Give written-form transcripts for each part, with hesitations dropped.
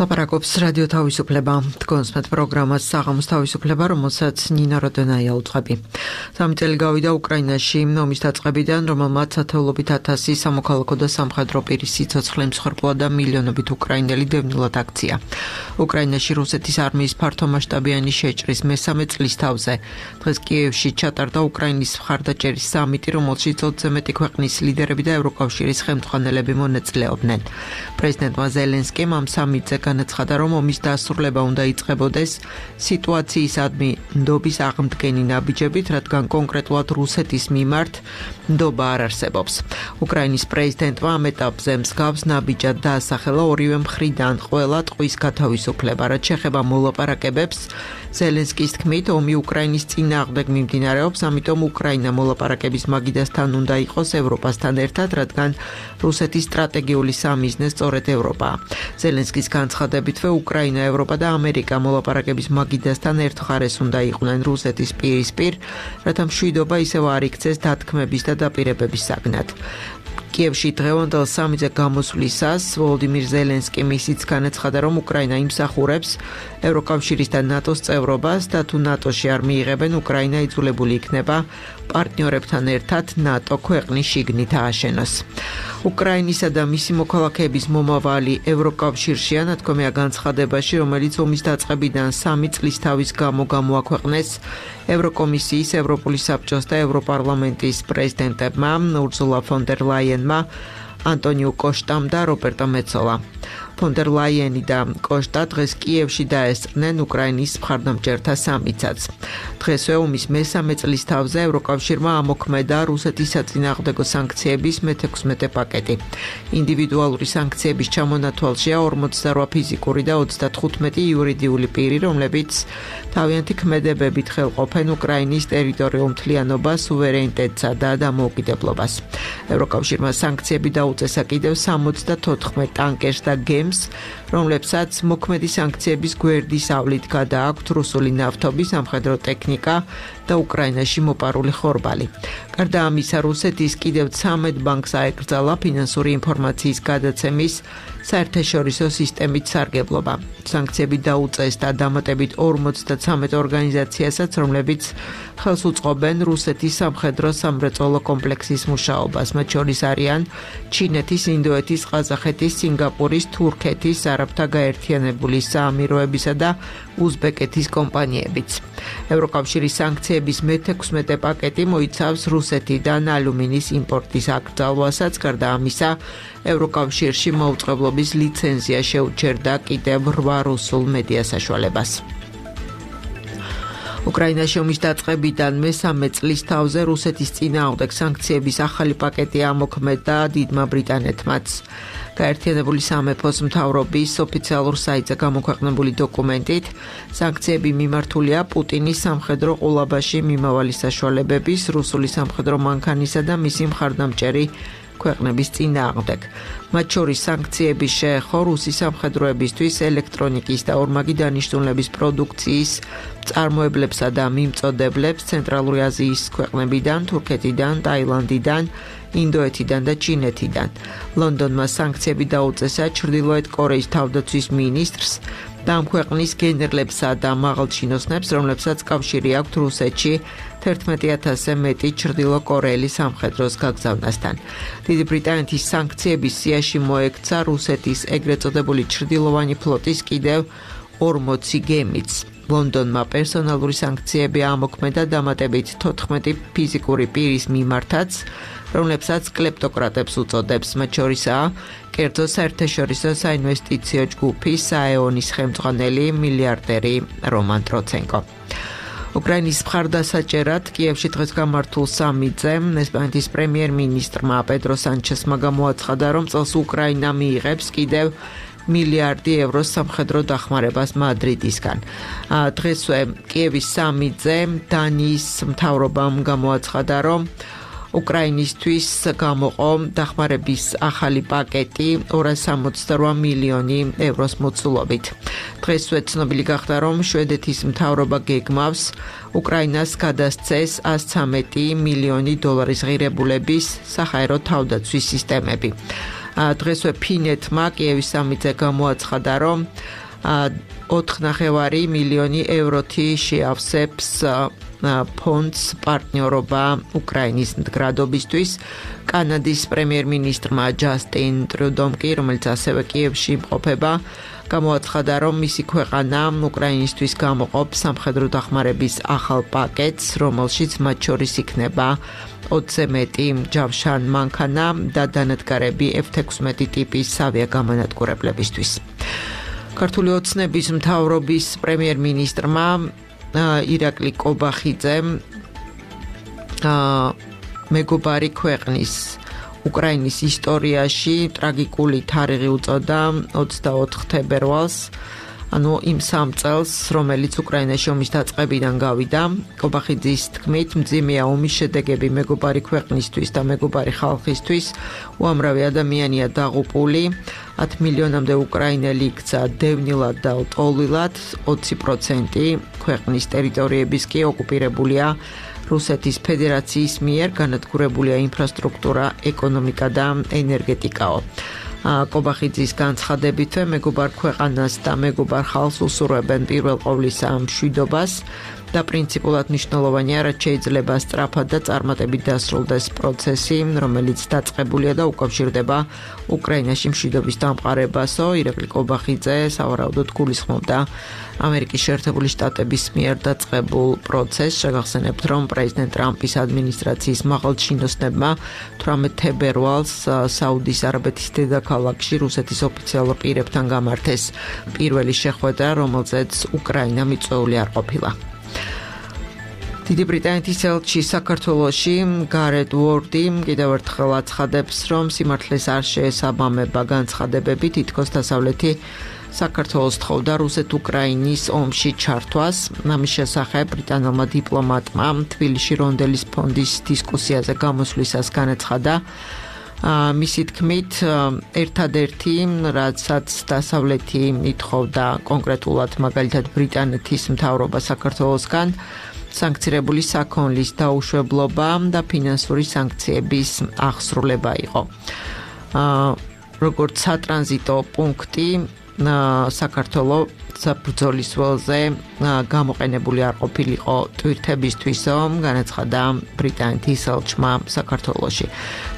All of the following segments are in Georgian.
ლაპარაკობს რადიო თავისუფლება. თქვენსმეთ პროგრამას საღამოს თავისუფლება, რომელსაც ნინა როდენაია უძღვები. 3 წელი გავიდა უკრაინაში ომის დაწყებიდან, რომელმაც ათეულობით ათასი სამოქალაქო და სამხედრო პირის სიცოცხლე მსხვერპლა და მილიონობით უკრაინელი დევნილად აქცია. უკრაინაში რუსეთის არმიის ფართომასშტაბიანი შეჭრის მესამე წლისთავზე დღეს კიევში ჩატარდა უკრაინის მხარდაჭერის სამიტი, რომელშიც 20-ზე მეტი ქვეყნის ლიდერები და ევროკავშირის ხელმძღვანელები მონაწილეობდნენ. პრეზიდენტმა ზელენსკიმ ამ სამიტზე განაცხადა, რომ ომის დასრულება უნდა იწყებოდეს სიტუაციისადმი ნდობის აღმდგენი ნაბიჯებით, რადგან კონკრეტულად რუსეთის მიმართ ნდობა არ არსებობს. უკრაინის პრეზიდენტმა ამ ეტაპზე მსგავს ნაბიჯად დაასახელა ორივე მხრიდან ყველა ტყვის გათავისუფლება, რაც შეეხება მოლაპარაკებებს. ზელენსკის თქმით, ომი უკრაინის წინააღმდეგ მიმდინარეობს, ამიტომ უკრაინა მოლაპარაკების მაგიდასთან უნდა იყოს ევროპასთან ერთად, რადგან რუსეთის სტრატეგიული სამიზნე სწორედ ევროპაა. ზელენსკის განცხადებითვე უკრაინა, ევროპა და ამერიკა მოლაპარაკების მაგიდასთან ერთ მხარეს უნდა იყვნენ რუსეთის პირისპირ, რათა მშვიდობა ისევ არ იქცეს დათქმების და დაპირებების საგნად. კიევში დღევანდელ სამიტზე გამოსვლისას ვოლოდიმირ ზელენსკიმ ისიც განაცხადა, რომ უკრაინა იმსახურებს ევროკავშირის და ნატოს წევრობას და თუ ნატოში არ მიიღებენ, უკრაინა იძულებული იქნება პარტნიორებთან ერთად ნატო ქვეყნის შიგნით ააშენოს. უკრაინისა და მისი მოქალაქეების მომავალი ევროკავშირშია, ნათქვამია განცხადებაში, რომელიც ომის დაწყებიდან 3 წლისთავის გამო გამოაქვეყნეს ევროკომისიის, ევროპული საბჭოს და ევროპარლამენტის პრეზიდენტებმა ურსულა ფონ დერ ლაიენმა, ანტონიუ კოშტამ და რობერტო მეცოლა. ფონ დერ ლაიენი და კოშტა დღეს კიევში დაესწრნენ უკრაინის მხარდამჭერთა სამიტსაც. დღესვე ომის მესამე წლისთავზე ევროკავშირმა ამოქმედა რუსეთის საწინააღმდეგო სანქციების მე-16 პაკეტი. ინდივიდუალური სანქციების ჩამონათვალშია 48 ფიზიკური და 35 იურიდიული პირი, რომლებიც თავიანთი ქმედებებით ხელყოფენ უკრაინის ტერიტორიულ მთლიანობას, სუვერენიტეტსა და დამოუკიდებლობას. ევროკავშირმა სანქციები დაუწესა კიდევ 74 ტანკერს და გემს, რომლებსაც მოქმედი სანქციების გვერდის ავლით გადააქვთ რუსული ნავთობი, სამხედრო ტექნიკა და უკრაინაში მოპარული ხორბალი. გარდა ამისა, რუსეთის კიდევ 13 ბანკს აეკრძალა ფინანსური ინფორმაციის გადაცემის საერთაშორისო სისტემით სარგებლობა. სანქციები დაუწესდა დამატებით 53 ორგანიზაციასაც, რომლებიც ხელს უწყობენ რუსეთის სამხედრო სამრეწველო კომპლექსის მუშაობას. მათ შორის არიან ჩინეთის, ინდოეთის, ყაზახეთის, სინგაპურის, თურქეთის, არაბთა გაერთიანებული საამიროებისა და უზბეკეთის კომპანიებიც. ევროკავშირის სანქციების მე-16 პაკეტი მოიცავს რუსეთიდან ალუმინის იმპორტის აკრძალვასაც, გარდა ამისა, ევროკავშირში მოუწყებლობის ლიცენზია შეუჩერდა კიდევ 8 რუსულ მედია საშუალებას. უკრაინაში ომის დაწყებიდან მესამე წლისთავზე რუსეთის წინააღმდეგ სანქციების ახალი პაკეტი ამოქმედა დიდმა ბრიტანეთმაც. გაერთიანებული სამეფოს მთავრობის ოფიციალურ საიტზე გამოქვეყნებული დოკუმენტით, სანქციები მიმართულია პუტინის სამხედრო ყულაბაში მიმავალი საშუალებების, რუსული სამხედრო მანქანისა და მისი მხარდამჭერი ქვეყნების წინააღმდეგ. მათ შორის სანქციების შეეხო რუსი სამხედროებისთვის ელექტრონიკის და ორმაგი დანიშნულების პროდუქციის წარმოებლებსა და მიმწოდებლებს ცენტრალური აზიის ქვეყნებიდან, თურქეთიდან, ტაილანდიდან, ინდოეთიდან და ჩინეთიდან. ლონდონმა სანქციები დაუწესა ჩრდილოეთ კორეის თავდაცვის მინისტრს და ამ ქვეყნის გენერლებსა და მაღალჩინოსნებს, რომლებსაც კავშირი აქვთ რუსეთში 11,000-ზე მეტი ჩრდილოკორეელი სამხედროს გაგზავნასთან. დიდი ბრიტანეთის სანქციების სიაში მოექცა რუსეთის ეგრეთ წოდებული ჩრდილოვანი ფლოტის კიდევ 40 გემიც. ლონდონმა პერსონალური სანქციები ამოქმედა დამატებით 14 ფიზიკური პირის მიმართაც, რომლებსაც კლეპტოკრატებს უწოდებს, მათ შორისაა კერძო საერთაშორისო საინვესტიციო ჯგუფი საეონის ხელმძღვანელი მილიარდერი რომან ტროცენკო. უკრაინის მხარდასაჭერად კიევში დღეს გამართულ სამიტზე ესპანეთის პრემიერ-მინისტრმა პედრო სანჩესმა გამოაცხადა, რომ წელს უკრაინა მიიღებს კიდევ მილიარდი ევროს სამხედრო დახმარებას მადრიდისგან. დღესვე კიევის სამიტზე დანიის მთავრობამ გამოაცხადა, რომ უკრაინისთვის გამოყო დახმარების ახალი პაკეტი 268 მილიონი ევროს მოცულობით. დღესვე ცნობილი გახდა, რომ შვედეთის მთავრობა გეგმავს უკრაინას გადასცეს 113 მილიონი დოლარის ღირებულების საჰაერო თავდაცვის სისტემები. დღესვე ფინეთმა კიევის სამიტზე გამოაცხადა, რომ 4,5 მილიონი ევროთი შეავსებს ფონდს პარტნიორობა უკრაინის მდგრადობისთვის. კანადის პრემიერ-მინისტრმა ჯასტინ ტრუდომ კი, რომელიც ასევე კიევში იმყოფება, გამოაცხადა, რომ მისი ქვეყანა უკრაინისთვის გამოყოფს სამხედრო დახმარების ახალ პაკეტს, რომელშიც მათ შორის იქნება 20-ზე მეტი ჯავშან მანქანა და დანადგარები F-16 ტიპის ავიაგამანადგურებლებისთვის. ქართული ოცნების მთავრობის პრემიერ-მინისტრმა ირაკლი კობახიძემ მეგობარი ქვეყნის უკრაინის ისტორიაში ტრაგიკული თარიღი უწოდა 24 თებერვალს, ანუ იმ 3 წელს, რომელიც უკრაინაში ომის დაწყებიდან გავიდა. კობახიძის თქმით, მძიმეა ომის შედეგები მეგობარი ქვეყნისთვის და მეგობარი ხალხისთვის, უამრავი ადამიანია დაღუპული, 10 მილიონამდე უკრაინელი იქცა დევნილად და ლტოლვილად, 20% ქვეყნის ტერიტორიების კი ოკუპირებულია რუსეთის ფედერაციის მიერ, განადგურებულია ინფრასტრუქტურა, ეკონომიკა და ენერგეტიკაო. კობახიძის განცხადებით, მეგობარ ქვეყანას და მეგობარ ხალხს უსურვებენ პირველ ყოვლისა მშვიდობას და პრინციპულად მნიშვნელოვანია, რაც შეიძლება სწრაფად და წარმატებით დასრულდეს პროცესი, რომელიც დაწყებულია და უკავშირდება უკრაინაში მშვიდობის დამყარებასო. ირაკლი კობახიძე სავარაუდოდ გულისხმობდა ამერიკის შეერთებული შტატების მიერ დაწყებულ პროცესს. შეგახსენებთ, რომ პრეზიდენტ ტრამპის ადმინისტრაციის მაღალჩინოსნებმა 18 თებერვალს საუდის არაბეთის დედაქალაქში რუსეთის ოფიციალურ პირებთან გამართეს პირველი შეხვედრა, რომელზეც უკრაინა მიწვეული არ ყოფილა. დიდი ბრიტანეთის ელჩი საქართველოში გარეთ უორდი კიდევ ერთხელ აცხადებს, რომ სიმართლეს არ შეესაბამება განცხადებები, თითქოს დასავლეთი საქართველოს თხოვდა რუსეთ-უკრაინის ომში ჩართვას. ამის შესახებ ბრიტანელმა დიპლომატმა თბილისში რონდელის ფონდის დისკუსიაზე გამოსვლისას განაცხადა, მისი თქმით, ერთადერთი, რაცაც დასავლეთი ითხოვდა კონკრეტულად მაგალითად ბრიტანეთის მთავრობა საქართველოსგან, სანქცირებული საქონლის დაუშვებლობა და ფინანსური სანქციების აღსრულება იყო. როგორც სატრანზიტო პუნქტი საქართველოს საბრძოლის ველზე გამოყენებული არ ყოფილიყო ტვირთებისთვისო, განაცხადა ბრიტანეთის ელჩმა საქართველოში.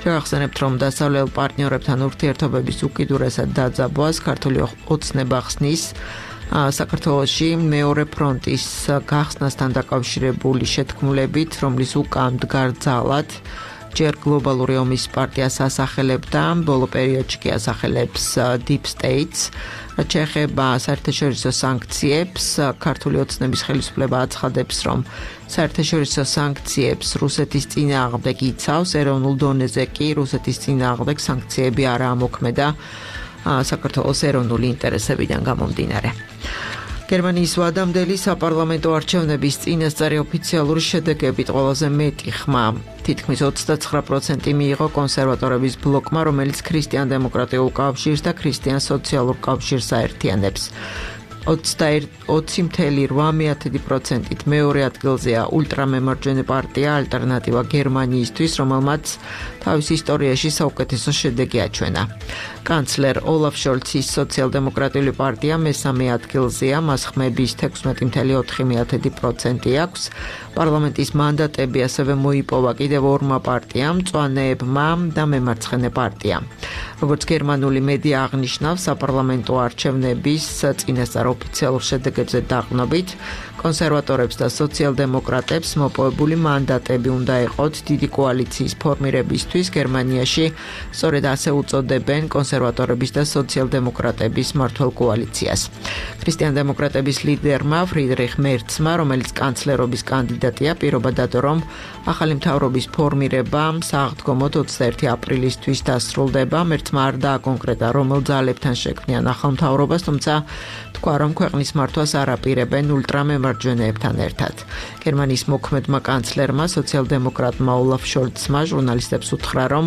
შევახსენებთ, რომ დასავლელ პარტნიორებთან ურთიერთობების უკიდურესად დაძაბვას ქართული ოცნება ხსნის საქართველოში მეორე ფრონტის გახსნასთან დაკავშირებული შეთქმულებით, რომლის უკან მდგარ ძალად ჯერ გლობალური ომის პარტიას ასახელებდა, ბოლო პერიოდში კი ასახელებს Deep States. რაც შეეხება საერთაშორისო სანქციებს, ქართული ოცნების ხელისუფლება აცხადებს, რომ საერთაშორისო სანქციებს რუსეთის წინააღმდეგ იცავს, ეროვნულ დონეზე კი რუსეთის წინააღმდეგ სანქციები არაა მოქმედა საქართველოს ეროვნული ინტერესებიდან გამომდინარე. გერმანიის ვადამდელი საპარლამენტო არჩევნების წინასწარი ოფიციალური შედეგებით ყველაზე მეტი ხმა, თითქმის 29% მიიღო კონსერვატორების ბლოკმა, რომელიც ქრისტიან-დემოკრატიულ კავშირს და ქრისტიან-სოციალურ კავშირს აერთიანებს. 20.8%-ით მეორე ადგილზეა ულტრამემარჯვენე პარტია ალტერნატივა გერმანიისთვის, რომელმაც თავის ისტორიაში საუკეთესო შედეგი აჩვენა. კანცლერ ოლაფ შოლცის სოციალ-დემოკრატიული პარტია მესამე ადგილზეა, მას ხმების 16.4% აქვს. პარლამენტის მანდატები ასევე მოიპოვა კიდევ ორმა პარტიამ, მწვანეებმა და მემარცხენე პარტიამ. როგორც გერმანული მედია აღნიშნავს, საპარლამენტო არჩევნების წინასწარ ოფიციალურ შედეგებზე დაყრდნობით, კონსერვატორებს და სოციალ-დემოკრატებს მოპოვებული მანდატები უნდა ეყოთ დიდი კოალიციის ფორმირებისთვის გერმანიაში, სწორედ ასე უწოდებენ კონსერვატორების და სოციალ-დემოკრატების მმართველ კოალიციას. ქრისტიან-დემოკრატების ლიდერმა ფრიდრიხ მერცმა, რომელიც კანცლერობის კანდიდატია, პირობა დადო, რომ ახალი მთავრობის ფორმირება სააღდგომოდ 21 აპრილისთვის დასრულდება. მერცმა არ დააკონკრეტა, რომელ ძალებთან შექმნიან ახალ მთავრობას, თუმცა თქვა, რომ ქვეყნის მართვას არ აპირებენ ულტრამემარჯვენეებთან ერთად. გერმანიის მოქმედმა კანცლერმა, სოციალ-დემოკრატმა ოლაფ შოლცმა ჟურნალისტებს უთხრა, რომ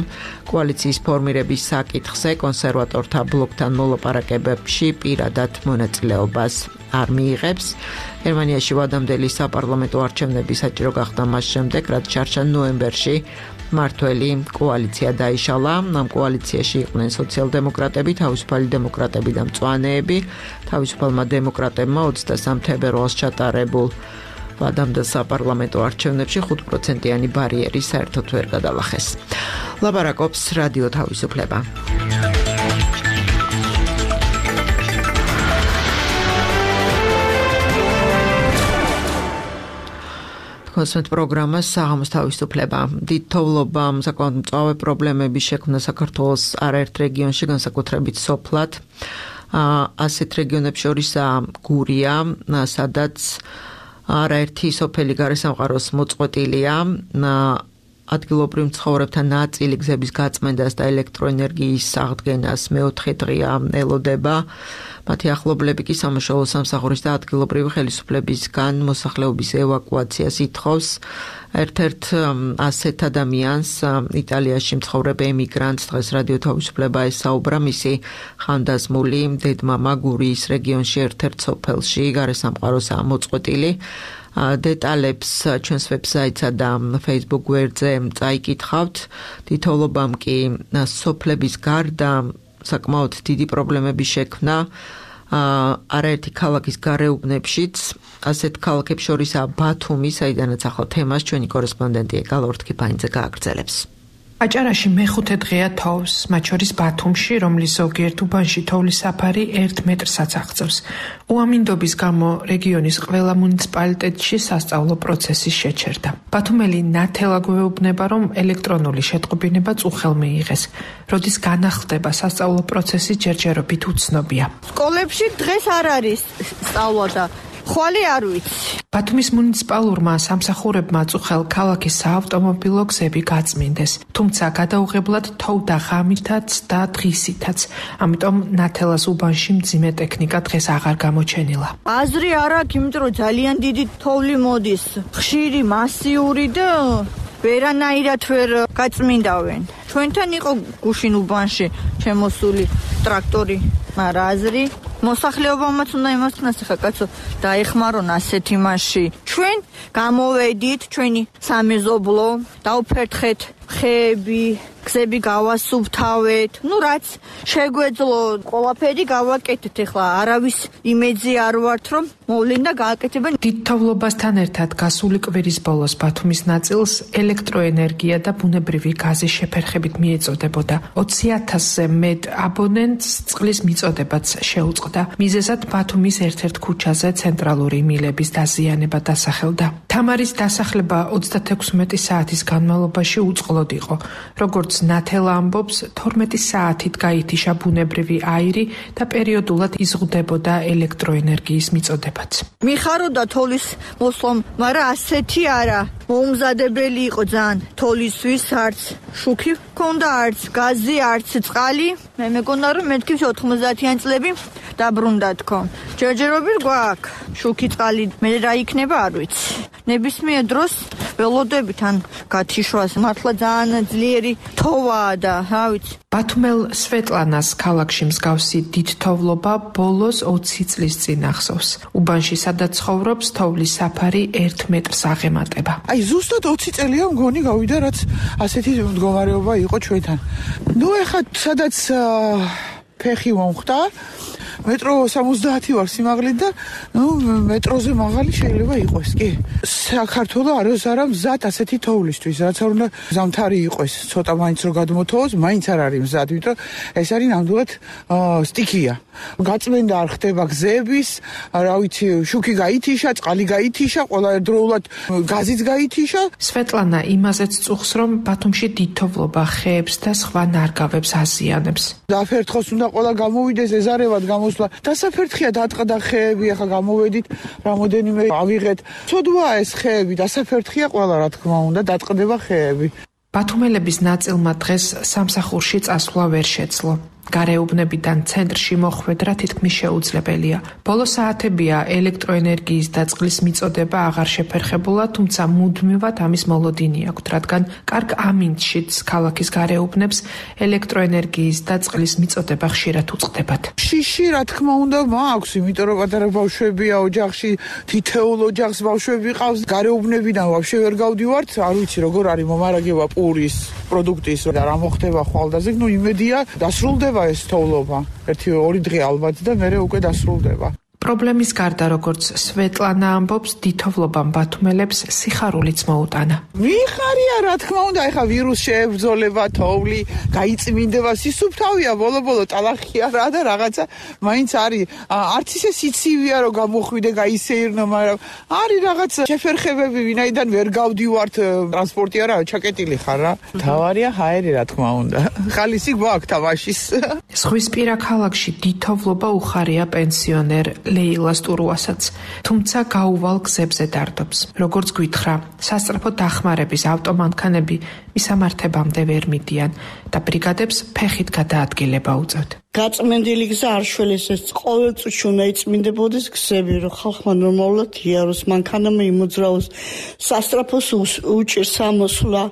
კოალიციის ფორმირების საკითხზე კონსერვატორთა ბლოკთან მოლაპარაკებებში პირადად მონაწილეობას არ მიიღებს. გერმანიაში ვადამდელი საპარლამენტო არჩევნები საჭირო გახდა მას შემდეგ, რაც ჩარჩა ნოემბერში მართველი კოალიცია დაიშალა. ამ კოალიციაში იყვნენ სოციალ-დემოკრატები, თავისუფალი დემოკრატები და მწვანეები. თავისუფალმა დემოკრატებმა 23 თებერვალს ჩატარებულ ვადამ და საპარლამენტო არჩევნებში 5%-იანი ბარიერი საერთოდ ვერ გადალახეს. ლაპარაკობს რადიო თავისუფლება. კონსერტ პროგრამა საღამოს თავისუფლება. დიდ თოვლობამ საკმაოდ მწვავე პრობლემები შექმნა საქართველოს არაერთ რეგიონში, განსაკუთრებით სოფლად. ასეთ რეგიონებს შორისაა გურია, სადაც არაერთი სოფელი გარესამყაროს მოწყვეტილია. ადგილობრივ მცხოვრებთა ნაწილი გზების გაწმენდას და ელექტროენერგიის აღდგენას მეოთხე დღეა ელოდება. მათი ახლობლები კი სამაშველო სამსახურის და ადგილობრივი ხელისუფლებისგან მოსახლეობის ევაკუაციას ითხოვს. ერთ-ერთ ასეთ ადამიანს იტალიაში მცხოვრებ ემიგრანტს დღეს რადიო თავისუფლება ესაუბრა მისი ხანდაზმული დედმამა გურიის რეგიონში ერთ-ერთ სოფელში გარესამყაროსაა მოწყვეტილი. დეტალებს ჩვენს ვებსაიტსა და Facebook გვერდზე წაიკითხავთ. თითოეულობამ კი სოფლების გარდა საკმაოდ დიდი პრობლემები შექმნა არაერთი ქალაქის გარეუბნებშიც. ასეთ ქალაქებს შორისაა ბათუმი, საიდანაც ახლა თემას ჩვენი კორესპონდენტი ეკალა ორთქიფანიძე გააგრძელებს. აჭარაში მეხუთე დღეა თოვს, მათ შორის ბათუმში, რომლის ზოგიერთ უბანში თოვლის საფარი 1 მეტრსაც აღწევს. უამინდობის გამო რეგიონის ყველა მუნიციპალიტეტში სასწავლო პროცესი შეჩერდა. ბათუმელი ნათელა გვეუბნება, რომ ელექტრონული შეტყობინება წუხელ მიიღეს. როდის განახლდება სასწავლო პროცესი, ჯერჯერობით უცნობია. სკოლებში დღეს არ არის სწავლა და ხვალე არ ვიცი. ბათუმის მუნიციპალურმა სამსახურებმა წუხელ ქალაქის საავტომობილო გზები გაწმინდეს, თუმცა გადაუღებლად თოვდა ღამითაც და დღისითაც. ამიტომ ნათელას უბანში მძიმე ტექნიკა დღეს აღარ გამოჩენილა. აზრი არ აქვს, იმიტომ რომ ძალიან დიდი თოვლი მოდის, ხშირი, მასიური და ვერანაირად ვერ გაწმინდავენ. ჩვენთან იყო გუშინ უბანში შემოსული ტრაქტორი, მაგრამ აზრი მოსახლეობამაც უნდა იმასთანაც ხა კაცო დაეხმარონ ასეთ იმაში. ჩვენ გამოვედით, ჩვენი სამეზობლო, დავფერთხეთ ხეები, გზები გავასუფთავეთ. რაც შეგვეძლო, ყველაფერი გავაკეთეთ. ეხლა არავის იმედზე არ ვართ, რომ მოვლენ და გააკეთებენ. დიდ თოვლობასთან ერთად გასული კვირის ბოლოს ბათუმის ნაწილს ელექტროენერგია და ბუნებრივი გაზის შეფერხებით მიეწოდებოდა. 20,000-ზე მეტ აბონენტს წყლის მიწოდებაც შეუწყდა. მიზეზად ბათუმის ერთ-ერთ ქუჩაზე ცენტრალური მილების დაზიანება დასახელდა. თამარის დასახლება 36 საათის განმავლობაში უწყლოდ იყო. როგორც ნათელა ამბობს, 12 საათით გაითიშა ბუნებრივი აირი და პერიოდულად იზღუდებოდა ელექტროენერგიის მიწოდებაც. მიხაროდა თოვლის მოსლომ, მაგრამ ასეთი არა. მოუმზადებელი იყო ძალიან თოვლისთვის, არც შუქი ჰქონდა, არც გაზი, არც წყალი. მე მეგონა რომ მეთქი 90-იან წლები დაბრუნდა თქო. ჯერჯერობით გვაქვს შუქი წყალი, მე რა იქნება არ ვიცი. ნებისმიერ დროს ველოდებით ან გათიშვას, მართლა ძალიან ძლიერი თოვაა და რა ვიცი. ბათუმელ სვეტლანას ქალაქში მსგავსი დიდ თოვლობა ბოლოს 20 წლის წინ ახსოვს. უბანში სადაც ცხოვრობს, თოვლის საფარი 1 მეტრს აღემატება. ზუსტად 20 წელია მგონი გავიდა, რაც ასეთი მდგომარეობა იყო ჩვენთან. ეხლა სადაც ფეხი მომხდა, მეტრო 70 ვარ სიმაღლით და მეტროზე მაღალი შეიძლება იყოს, კი. საქართველო არის არა მზად ასეთი თოვლისთვის, რაც არ უნდა ზამთარი იყოს, ცოტა მაინც რომ გადმოთოვოს, მაინც არ არის მზად, იმიტომ ეს არის ნამდვილად სტიქია. გაწმენდა არ ხდება გზების, რა ვიცი, შუქი გაითიშა, წყალი გაითიშა, ყველა ერთდროულად გაზიც გაითიშა. სვეტლანა იმაზეც წუხს, რომ ბათუმში დიდ თოვლობა ხეებს და სხვა ნარგავებს აზიანებს. დაფერთხოს უნდა ყველა გამოვიდეს, ეზარევად გამოსვლა. დასაფერთხია დატყდა ხეები, ახლა გამოვედით, რამოდენიმე ავიღეთ. ცოდვაა ეს ხეები, დასაფერთხია ყველა, რა თქმა უნდა, დატყდება ხეები. ბათუმელების ნაწილმა დღეს სამსახურში წასვლა ვერ შეძლო. გარეუბნებიდან ცენტრში მოხვედრა თითქმის შეუძლებელია. ბოლო საათებია ელექტროენერგიის და წყლის მიწოდება აღარ შეფერხებულა, თუმცა მუდმივად ამის მოლოდინი აქვთ, რადგან კარგ ამინდშიც ქალაქის გარეუბნებს ელექტროენერგიის და წყლის მიწოდება ხშირად უწყდებათ. შიში, რა თქმა უნდა, მაქვს, იმიტომ რომ პატარა ბავშვებია ოჯახში, თითოეულ ოჯახს ბავშვები ყავს, გარეუბნებიდან ვაფშე ვერ გავდივართ, არ ვიცი როგორ არის მომარაგება პურის პროდუქტის და რა მოხდება ხვალდაზე, იმედია დასრულდება ეს თოვლობა. 1-2 დღე ალბათ და მერე უკვე დასრულდება. პრობლემის გარდა, როგორც სვეტლანა ამბობს, დითოვლობამ ბათუმელებს სიხარულიც მოუტანა. მიხარია, რა თქმა უნდა, ეხა ვირუს შეებრძოლება, თოვლი, გაიწმინდება, სისუფთავია, ბოლო-ბოლო ტალახია რა და რაღაცა მაინც არის. არც ისე სიცივია, რომ გამოხვიდე, გაისეირნო, მაგრამ არის რაღაც შეფერხებები, ვინაიდან ვერ გავდივართ, ტრანსპორტი არა, ჩაკეტილი ხარ რა. თავარია ჰაერი, რა თქმა უნდა. ხალისი გვაქვს თამაშის. ზღვისპირა ქალაქში დითოვლობა უხარია პენსიონერ ლეილას ტურუასაც, თუმცა გაუვალ გზებზე დარდობს. როგორც გვითხრა, სასწრაფო დახმარების ავტომანქანები მისამართებამდე ვერ მიდიან და ბრიგადებს ფეხით გადაადგილება უწევთ. გაწმენდილი გზა არ შველეს, ეს ყოველ წუთში უნდა იწმინდებოდეს გზები, რომ ხალხმა ნორმალურად იაროს, მანქანამ იმოძრაოს, სასწრაფოს უჭირს ამოსვლა,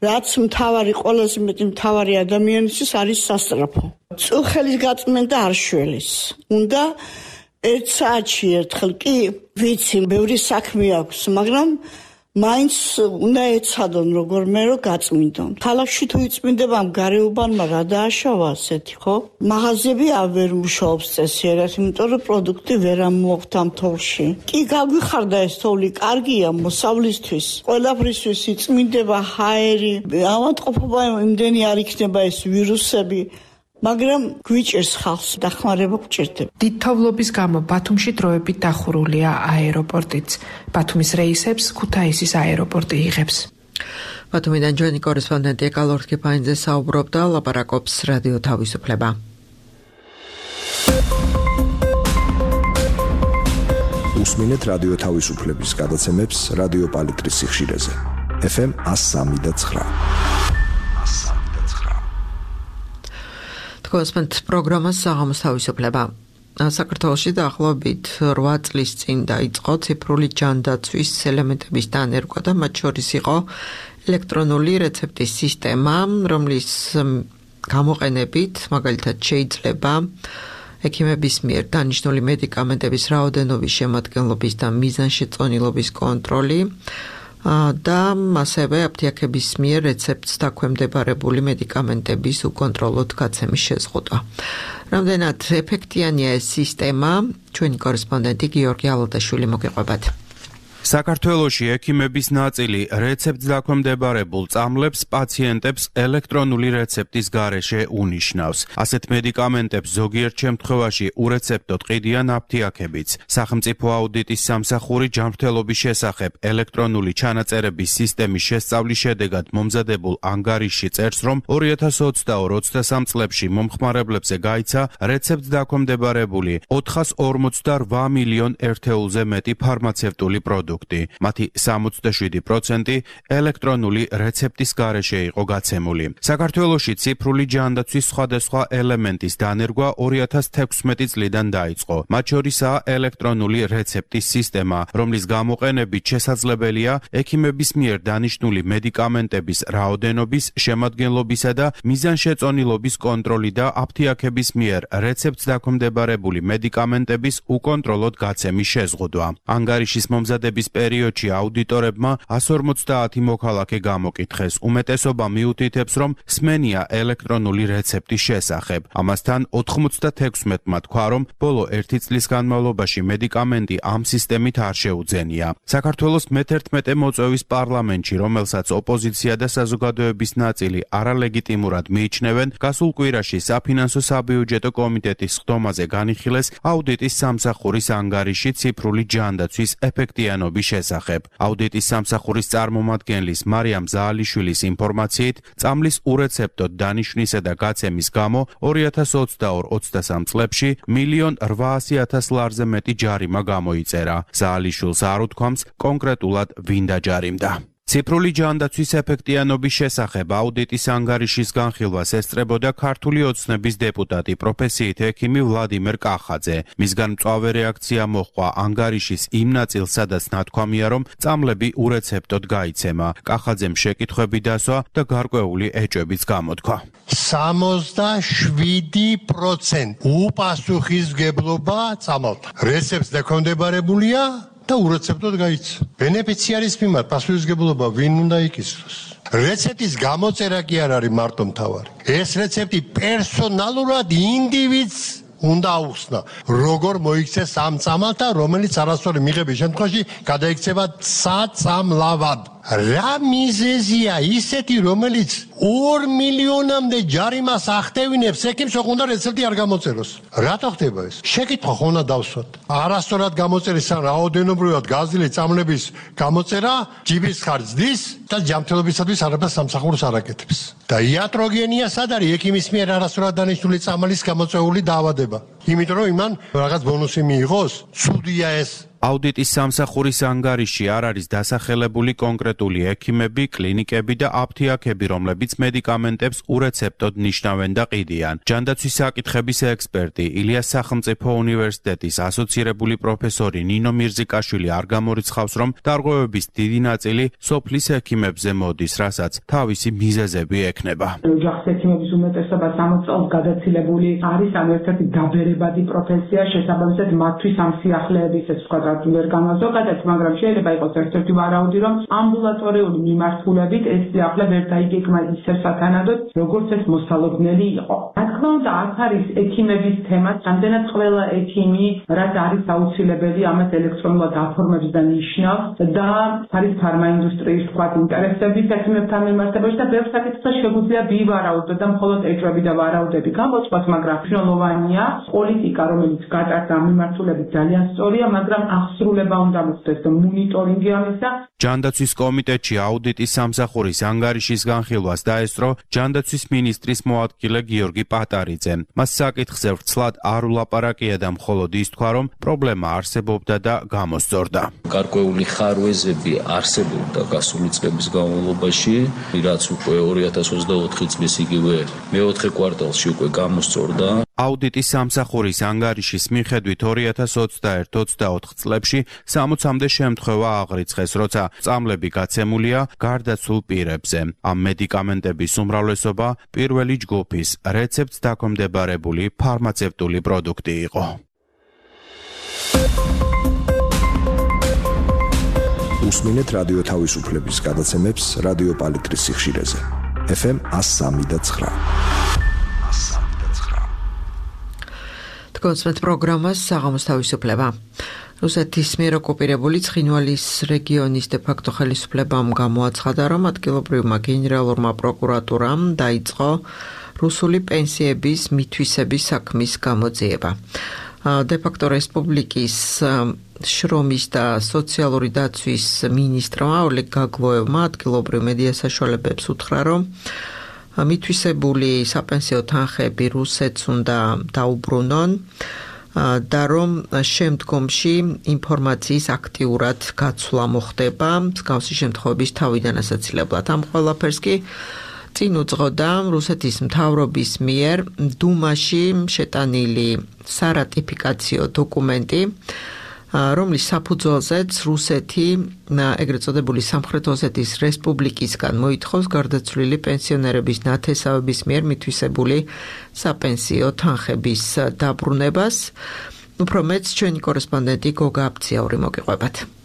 რაც მთავარი, ყველაზე მეტი მთავარი ადამიანისთვის არის სასწრაფო. წუხელის გაწმენდა არ შველეს. უნდა 1 საათში ერთხელ კი ვიცი, ბევრი საქმე აქვს, მაგრამ მაინც უნდა ეცადონ როგორმე რომ გაწმინდონ. ქალაქში თუ იწმინდება ამ გარეუბანმა რა დააშავა ასეთი, ხო? მაღაზიები ვერ მუშაობს წესიერად, იმიტომ რომ პროდუქტი ვერ ამოაქვთ ამ თოვლში. კი გაგვიხარდა ეს თოვლი, კარგია მოსავლისთვის, ყველაფრისთვის იწმინდება ჰაერი, ავადმყოფობა იმდენი არ იქნება ეს ვირუსები. მაგრამ გვიჭერს ხალხს დახმარება გვჭირდება. დითოვლობის გამო ბათუმში დროებით დახურულია აეროპორტიც. ბათუმის რეისებს ქუთაისის აეროპორტი იღებს. ბათუმიდან ჩვენი კორესპონდენტი ეკალორ კიფაინძე საუბრობდა, ლაპარაკობს რადიო თავისუფლება. უსმინეთ რადიო თავისუფლების გადაცემებს რადიო პალიტრის სიხშირეზე. FM 103.9. თქვენს პროგრამას საღამოს თავისუფლება. საქართველოში დაახლოებით 8 წლის წინ დაიწყო ციფრული ჯანდაცვის ელემენტების დანერგვა და მათ შორის იყო ელექტრონული რეცეპტის სისტემა, რომლის გამოყენებით მაგალითად შეიძლება ექიმების მიერ დანიშნული მედიკამენტების რაოდენობის შემადგენლობის და მიზანშეწონილობის კონტროლი და ასევე აფთიაქების მიერ რეცეპტს დაქვემდებარებული მედიკამენტების უკონტროლოდ გაცემის შეზღუდვა. რამდენად ეფექტიანია ეს სისტემა, ჩვენი კორესპონდენტი გიორგი ალოდაშვილი მოგეყვებათ. საქართველოში ექიმების ნაწილი რეცეპტს დაქვემდებარებულ წამლებს პაციენტებს ელექტრონული რეცეპტის გარეშე უნიშნავს. ასეთ მედიკამენტებს ზოგიერთ შემთხვევაში ურეცეპტოდ ყიდიან აფთიაქებიც. სახელმწიფო აუდიტის სამსახური ჯანმრთელობის შესახებ ელექტრონული ჩანაწერების სისტემის შესწავლის შედეგად მომზადებულ ანგარიშში წერს, რომ 2022-23 წლებში მომხმარებლებზე გაიცა რეცეპტს დაქვემდებარებული 448 მილიონ ერთეულზე მეტი ფარმაცევტული პროდუქტი. მათი 67% ელექტრონული რეცეპტის გარეშე იყო გაცემული. საქართველოში ციფრული ჯანდაცვის სხვადასხვა ელემენტის დანერგვა 2016 წლიდან დაიწყო. მათ შორისაა ელექტრონული რეცეპტის სისტემა, რომლის გამოყენებით შესაძლებელია ექიმების მიერ დანიშნული მედიკამენტების რაოდენობის, შემადგენლობისა და მიზანშეწონილობის კონტროლი და აფთიაქების მიერ რეცეპტს დაქვემდებარებული მედიკამენტების უკონტროლოდ გაცემის შეზღუდვა. ანგარიშის მომზადების პერიოდში აუდიტორებმა 150 მოქალაქე გამოკითხეს. უმეტესობა მიუთითებს, რომ სმენია ელექტრონული რეცეპტის შესახებ. ამასთან 96-მა თქვა, რომ ბოლო 1 წლის განმავლობაში მედიკამენტი ამ სისტემით არ შეუძენია. საქართველოს მე-11 მოწვევის პარლამენტში, რომელსაც ოპოზიცია და საზოგადოების ნაწილი არალეგიტიმურად მიიჩნევენ, გასულ კვირაში საფინანსო საბიუჯეტო კომიტეტის ხდომაზე განიხილეს აუდიტის სამსახურის ანგარიში ციფრული ჯანდაცვის ეფექტიანობის შესახებ. აუდიტის სამსახურის წარმომადგენლის მარიამ ზაალიშვილის ინფორმაციით, წამლის ურეცეპტოდ დანიშნვისა და გაცემის გამო 2022-23 წლებში 1,800,000 ლარზე მეტი ჯარიმა გამოიწერა. ზაალიშვილს არ უთქვამს კონკრეტულად ვინ დაჯარიმდა. ციფრული ჯანდაცვის ეფექტიანობის შესახებ აუდიტის ანგარიშის განხილვას ესწრებოდა ქართული ოცნების დეპუტატი პროფესიით ექიმი ვლადიმერ კახაძე. მისგან მწვავე რეაქცია მოჰყვა ანგარიშის იმ ნაწილს, სადაც ნათქვამია, რომ წამლები ურეცეპტოდ გაიცემა. კახაძემ შეკითხვები დასვა და გარკვეული ეჭვებიც გამოთქვა. 67% უპასუხისმგებლობა წამალთა. რეცეპტს დაქვემდებარებულია და ურეცეპტოდ გაიცა. ბენეფიციარის მიმართ პასუხისმგებლობა ვინ უნდა იკისროს? რეცეპტის გამოწერა კი არ არის მარტო მთავარი. ეს რეცეპტი პერსონალურად ინდივიდს უნდა აუხსნა, როგორ მოიქცეს ამ წამალთა, რომელიც არასწორი მიღების შემთხვევაში გადაიქცება საწამლავად. რა მიზეზია ისეთი, რომელიც 2 მილიონამდე ჯარიმას ახდევინებს, ექიმს უნდა რეცეპტი არ გამოწეროს. რატო ხდება ეს? შეკითხვა ხო უნდა დავსვათ. არასწორად გამოწერის ან რაოდენობრივად გაზრდილი წამლების გამოწერა ჯიბის ხარჯს და ჯანმრთელობისათვის არაფერს სამსახურს არ აკეთებს. და იატროგენია სად არის ექიმის მიერ არასწორად დანიშნული წამლის გამოწვეული დაავადება? იმიტომ რომ იმან რაღაც ბონუსი მიიღოს, ცუდია ეს. აუდიტის სამსახურის ანგარიში არ არის დასახელებული კონკრეტული ექიმები, კლინიკები და აფთიაქები, რომლებიც მედიკამენტებს ურეცეპტოდ ნიშნავენ და ყიდიან. ჯანდაცვის საკითხების ექსპერტი, ილიას სახელმწიფო უნივერსიტეტის ასოცირებული პროფესორი ნინო მირზიკაშვილი არ გამორიცხავს, რომ დარღვევების დიდი ნაწილი სოფლის ექიმებზე მოდის, რასაც თავისი მიზეზები ექნება. ოჯახის ექიმების უმეტესობა 60 წელს გადაცილებული არის, ან ერთ-ერთი დაბერებადი პროფესია, შესაბამისად მათთვის ამ სიახლეების ეს სხვა არ განვაზოგადეთ, მაგრამ შეიძლება იყოს ერთ-ერთი ვარაუდი, რომ ამბულატორიული მიმართულებით ეს სიახლე ვერ დაიგეგმა ისე სათანადოდ, როგორც ეს მოსალოდნელი იყო. რა თქმა უნდა, აქ არის ექიმების თემა, რამდენად ყველა ექიმი, რაც არის აუცილებელი ამას ელექტრონულად აფორმებს და ნიშნავს და არის ფარმაინდუსტრიის თქვა ინტერესების ექიმებთან მიმართებაში და ბევრ საკითხზე შეგვიძლია ვივარაუდოთ და მხოლოდ ეჭვები და ვარაუდები გამოწვათ, მაგრამ მნიშვნელოვანია პოლიტიკა, რომელიც გატარდა ამ მიმართულებით ძალიან სწორია, მაგრამ აღსრულება უნდა მოხდეს და მონიტორინგი ამისა. ჯანდაცვის კომიტეტში აუდიტის სამსახურის ანგარიშის განხილვას დაესწრო ჯანდაცვის მინისტრის მოადგილე გიორგი პატარიძემ. მას საკითხზე ვრცლად არ ულაპარაკია და მხოლოდ ის თქვა, რომ პრობლემა არსებობდა და გამოსწორდა. გარკვეული ხარვეზები არსებობდა გასული წლების განმავლობაში, რაც უკვე 2024 წლის იგივე მეოთხე კვარტალში უკვე გამოსწორდა. აუდიტის სამსახურის ანგარიშის მიხედვით 2021-24 წლებში 60-მდე შემთხვევა აღრიცხეს, როცა წამლები გაცემულია გარდაცულ პირებზე. ამ მედიკამენტების უმრავლესობა პირველი ჯგუფის რეცეპტს დაქვემდებარებული ფარმაცევტული პროდუქტი იყო. უსმინეთ რადიო თავისუფლების გადაცემებს რადიო პალიტრის სიხშირეზე. FM 103.9. კონსერტ პროგრამას საღამოს თავისუფლება. რუსეთის მიერ ოკუპირებული ცხინვალის რეგიონის დე-ფაქტო ხელისუფლებამ გამოაცხადა, რომ ადგილობრივმა გენერალურმა პროკურატურამ დაიწყო რუსული პენსიების მითვისების საქმის გამოძიება. დე-ფაქტო რესპუბლიკის შრომის და სოციალური დაცვის მინისტრმა ოლეგ გაგლოევმა ადგილობრივ მედია საშუალებებს უთხრა, რომ მითვისებული საპენსიო თანხები რუსეთს უნდა დაუბრუნონ და რომ შემდგომში ინფორმაციის აქტიურად გაცვლა მოხდება მსგავსი შემთხვევების თავიდან ასაცილებლად. ამ ყველაფერს კი წინ უძღოდა რუსეთის მთავრობის მიერ დუმაში შეტანილი სარატიფიკაციო დოკუმენტი, რომლის საფუძველზეც რუსეთი ეგრეთ წოდებული სამხრეთ ოსეთის რესპუბლიკისგან მოითხოვს გარდაცვლილი პენსიონერების ნათესავების მიერ მითვისებული საპენსიო თანხების დაბრუნებას. უფრო მეტს ჩვენი კორესპონდენტი გოგა აბციაური მოგიყვებათ.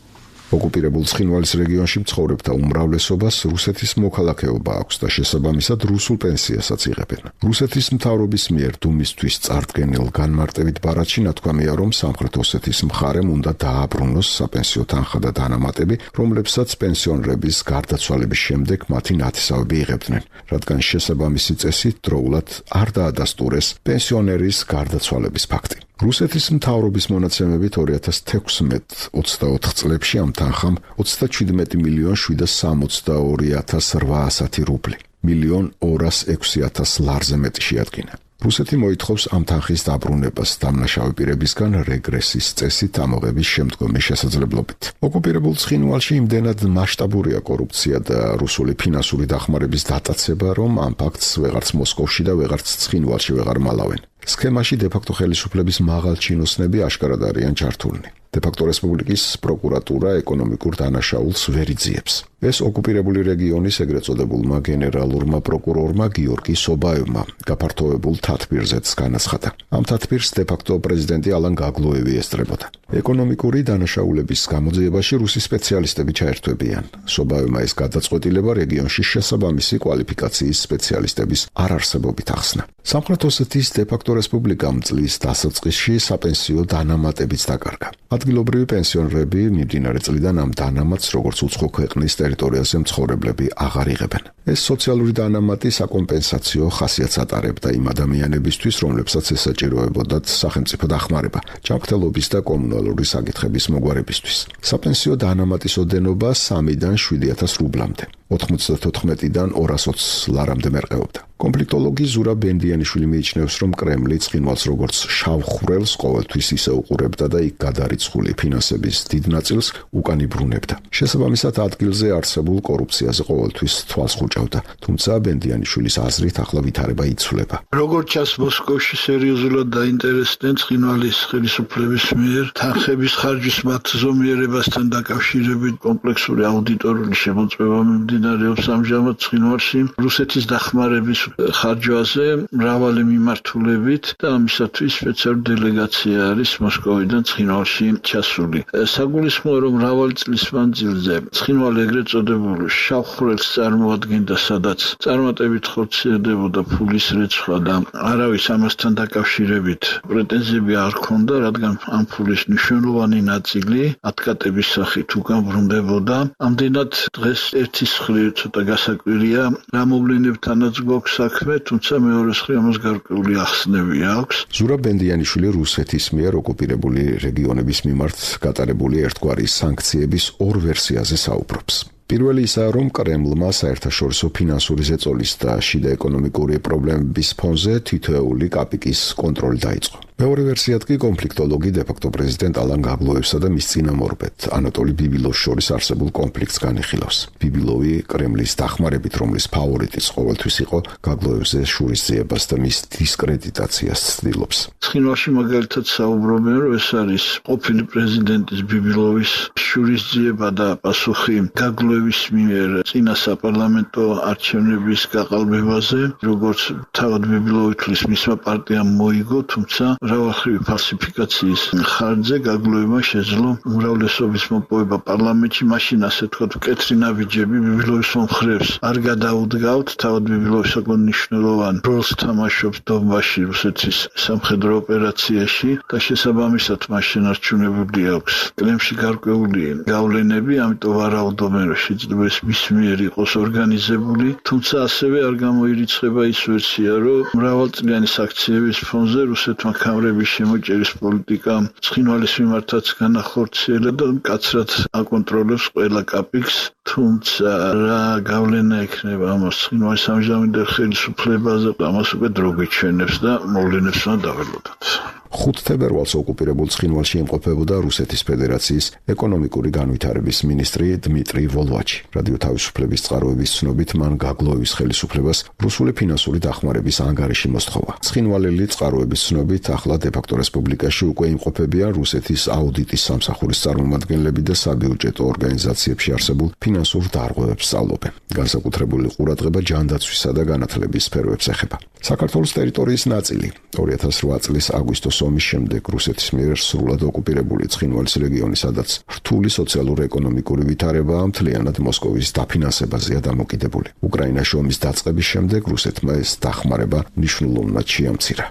ოკუპირებულ ცხინვალის რეგიონში მცხოვრებთა უმრავლესობას რუსეთის მოქალაქეობა აქვს და შესაბამისად რუსულ პენსიასაც იღებენ. რუსეთის მთავრობის მიერ დუმისთვის წარდგენილ განმარტებით ბარათში ნათქვამია, რომ სამხრეთ ოსეთის მხარემ უნდა დააბრუნოს საპენსიო თანხა და დანამატები, რომლებსაც პენსიონერების გარდაცვალების შემდეგ მათი ნათესავები იღებდნენ, რადგან შესაბამისი წესი დროულად არ დაადასტურეს პენსიონერის გარდაცვალების ფაქტი. რუსეთის მთავრობის მონაცემებით 2016-24 წლებში ამ თანხამ 37,762,810 რუბლი, 1,206,000 ლარზე მეტი შეადგინა. რუსეთი მოითხოვს ამ თანხის დაბრუნებას დამნაშავე პირებისგან რეგრესის წესით ამოღების შემდგომი შესაძლებლობით. ოკუპირებულ ცხინვალში იმდენად მასშტაბურია კორუფცია და რუსული ფინანსური დახმარების დატაცება, რომ ამ ფაქტს ვეღარც მოსკოვში და ვეღარც ცხინვალში ვეღარ მალავენ. სქემაში დე-ფაქტო ხელისუფლების მაღალ ჩინოსნები აშკარად არიან ჩართულნი. დე-ფაქტო რესპუბლიკის პროკურატურა ეკონომიკურ დანაშაულს ვერ იძიებს. ეს ოკუპირებული რეგიონის ეგრეთ წოდებულმა გენერალურმა პროკურორმა გიორგი სობაევმა გაფართოებულ თათბირზეც განაცხადა. ამ თათბირს დე-ფაქტო პრეზიდენტი ალან გაგლოევი ესწრებოდა. ეკონომიკური დანაშაულების გამოძიებაში რუსი სპეციალისტები ჩაერთვებიან. სობაევმა ეს გადაწყვეტილება რეგიონში შესაბამისი კვალიფიკაციის სპეციალისტების არარსებობით ახსნა. სამხრეთ ოსეთის დე-ფაქტო რესპუბლიკამ წლის დასაწყისში საპენსიო დანამატებიც დაკარგა. ადგილობრივი პენსიონერები მიმდინარე წლიდან ამ დანამატს როგორც უცხო ქვეყნის ტერიტორიაზე მცხოვრებლები აღარ იღებენ. ეს სოციალური დანამატი საკომპენსაციო ხასიათს ატარებდა იმ ადამიანებისთვის, რომლებსაც ესაჭიროებოდათ სახელმწიფო დახმარება, ჯანმრთელობის და კომუნალური საკითხების მოგვარებისთვის. საპენსიო დანამატის ოდენობა 3-დან 7,000 რუბლამდე, 94-დან 220 ლარამდე მერყეობდა. კონფლიქტოლოგი ზურაბ ბენდიანიშვილი მიიჩნევს, რომ კრემლი ცხინვალს როგორც შავ ხვრელს ყოველთვის ისე უყურებდა და იქ გადარიცხული ფინანსების დიდ ნაწილს უკან იბრუნებდა. შესაბამისად, ადგილზე არსებულ კორუფციაზე ყოველთვის თვალს ხუჭავდა, თუმცა ბენდიანიშვილის აზრით ახლა ვითარება იცვლება. როგორც ჩანს, მოსკოვში სერიოზულად დაინტერესდნენ ცხინვალის ხელისუფლების მიერ თანხების ხარჯვის მათ ზომიერებასთან დაკავშირებით კომპლექსური აუდიტორული შემოწმება მიმდინარეობს ამჟამად ცხინვალში რუსეთის დახმარების ხარჯვაზე მრავალი მიმართულებით და ამისათვის სპეციალური დელეგაცია არის მოსკოვიდან ცხინვალში ჩასული. საგულისხმოა, რომ მრავალი წლის მანძილზე ცხინვალი ეგრეთ წოდებულ შავ ხვრელს წარმოადგენდა, სადაც წარმატებით ხორციელდებოდა ფულის რეცხვა და არავის ამასთან დაკავშირებით პრეტენზიები არ ჰქონდა, რადგან ამ ფულის მნიშვნელოვანი ნაწილი ათკატების სახით უკან ბრუნდებოდა. ამდენად დღეს ერთის მხრივ ცოტა გასაკვირია რა მოვლენებთანაც გვაქვს საქმე, თუმცა მეორე მხრივ ამას გარკვეული ახსნები აქვს. ზურაბ ბენდიანიშვილი რუსეთის მიერ ოკუპირებული რეგიონების მიმართ გატარებული ერთგვარი სანქციების ორ ვერსიაზე საუბრობს. პირველი ისაა, რომ კრემლმა საერთაშორისო ფინანსური ზეწოლის და შიდა ეკონომიკური პრობლემების ფონზე თითოეული კაპიკის კონტროლი დაიწყო. მეორე ვერსიად კი კონფლიქტოლოგი დე-ფაქტო პრეზიდენტ ალან გაგლოევსა და მის წინამორბედ ანატოლი ბიბილოვს შორის არსებულ კონფლიქტს განიხილავს. ბიბილოვი კრემლის დახმარებით, რომლის ფავორიტიც ყოველთვის იყო, გაგლოევზე შურისძიებას და მის დისკრედიტაციას ცდილობს. ცხინვალში მაგალითად საუბრობენ, რომ ეს არის ყოფილი პრეზიდენტის ბიბილოვის შურისძიება და პასუხი გაგლოევის მიერ წინა საპარლამენტო არჩევნების გაყალბებაზე, როგორც თავად ბიბილოვი თვლის მისმა პარტიამ მოიგო, თუმცა მრავალმხრივი ფალსიფიკაციის ხარჯზე გაგლოევმა შეძლო უმრავლესობის მოპოვება პარლამენტში, მაშინ ასე თქვათ მკეთრი ნაბიჯები ბიბილოვის მომხრეებს არ გადაუდგავთ. თავად ბიბილოვი საკმაოდ მნიშვნელოვან როლს თამაშობს დონბასში რუსეთის სამხედრო ოპერაციაში და შესაბამისად მას შენარჩუნებული აქვს კრემლში გარკვეული გავლენები, ამიტომ ვარაუდობენ, რომ შეიძლება ეს მის მიერ იყოს ორგანიზებული, თუმცა ასევე არ გამოირიცხება ის ვერსია, რომ მრავალწლიანი საქციების ფონზე რუსეთმა ქამრების შემოჭერის პოლიტიკა ცხინვალის მიმართაც განახორციელა და მკაცრად აკონტროლებს ყველა კაპიკს, თუმცა რა გავლენა ექნება ამას ცხინვალის ამჟამინდელ ხელისუფლებაზე, ამას უკვე დრო გვიჩვენებს და მოვლენებს უნდა დაველოდოთ. 5 თებერვალს ოკუპირებულ ცხინვალში იმყოფებოდა რუსეთის ფედერაციის ეკონომიკური განვითარების მინისტრი დმიტრი ვოლვაჩი. რადიო თავისუფლების წყაროების ცნობით მან გაგლოევის ხელისუფლებას რუსული ფინანსური დახმარების ანგარიში მოსთხოვა. ცხინვალელი წყაროების ცნობით ახლა დე-ფაქტო რესპუბლიკაში უკვე იმყოფებიან რუსეთის აუდიტის სამსახურის წარმომადგენლები და საბიუჯეტო ორგანიზაციებში არსებულ ფინანსურ დარღვევებს სწავლობენ. განსაკუთრებული ყურადღება ჯანდაცვისა და განათლების სფეროებს ეხება. საქართველოს ტერიტორიის ნაწილი 2008 წლის აგვისტოს ომის შემდეგ რუსეთის მიერ სრულად ოკუპირებული ცხინვალის რეგიონი, სადაც რთული სოციალურ-ეკონომიკური ვითარებაა, მთლიანად მოსკოვის დაფინანსებაზეა დამოკიდებული. უკრაინაში ომის დაწყების შემდეგ რუსეთმა ეს დახმარება მნიშვნელოვნად შეამცირა.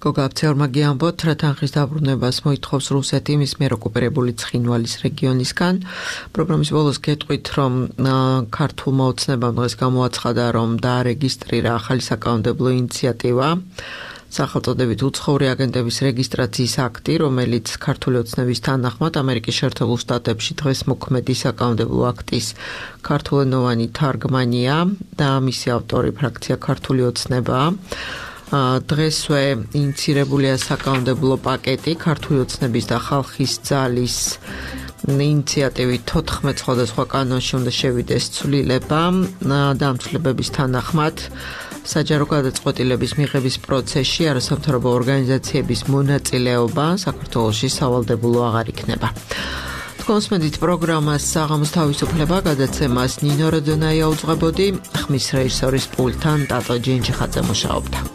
გოგაბცეორმა გიამბოთ, რა თანხის დაბრუნებას მოითხოვს რუსეთი მის მიერ ოკუპირებული ცხინვალის რეგიონისგან. პროგრამის ბოლოს გეტყვით, რომ ქართულმა ოცნებამ დღეს გამოაცხადა, რომ დაარეგისტრირა ახალი საკანონმდებლო ინიციატივა. სახელწოდებით უცხოური აგენტების რეგისტრაციის აქტი, რომელიც ქართული ოცნების თანახმად ამერიკის შეერთებულ შტატებში დღეს მოქმედი საკანონმდებლო აქტის ქართულენოვანი თარგმანია და მისი ავტორი ფრაქცია ქართული ოცნება. დღესვე ინიცირებულია საკანონმდებლო პაკეტი ქართული ოცნების და ხალხის ძალის ინიციატივით 14 სხვადასხვა კანონში უნდა შევიდეს ცვლილება და ამ ცვლილებების თანახმად საჯარო გადაწყვეტილების მიღების პროცესში არასამთავრობო ორგანიზაციების მონაწილეობა საქართველოში სავალდებულო აღარ იქნება. კონსმედით პროგრამას საღამოს თავისუფლება გადაცემას ნინო როდონაია უძღვებოდი, ხმის რეჟისორის პულტთან ტატო ჯინჯიხაძე მუშაობდა.